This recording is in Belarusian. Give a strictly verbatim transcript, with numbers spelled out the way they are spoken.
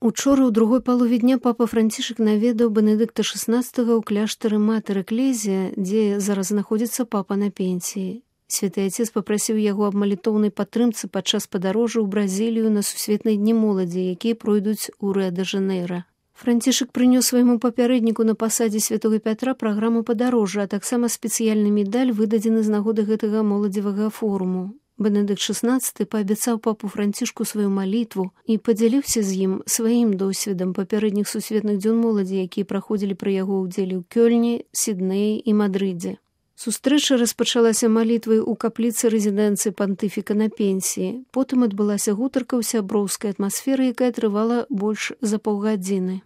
Учора ў другой палове дня папа Францішак наведаў Бенедыкта шаснаццатага ў кляштары Матэр Эклезія, дзе зараз знаходзіцца папа на пенсіі. Святы Отец папрасіў яго аб малітоўнай падтрымцы падчас падарожжа ў Бразілію на сусветныя дні моладзі, якія пройдуць у Рыа-дэ-Жанэйра. Францішак прынёс свайму папярэдніку на пасадзе святога Пятра праграму падарожжа, а таксама спецыяльны медаль, выдадзены з нагоды гэтага моладзевага форуму. Бенедыкт шаснаццаты паабяцаў папу Францішку сваю малітву і падзяліўся з ім сваім досведам папярэдніх сусветных дзён моладзі, якія праходзілі пры яго ўдзеле ў Кёльні, Сіднеі і Мадрыдзе. Сустрэча распачалася малітвай у капліцы рэзідэнцыі пантыфіка на пенсіі. Потым адбылася гутарка ў сяброўскай атмасферы, якая трывала больш за паўгадзіны.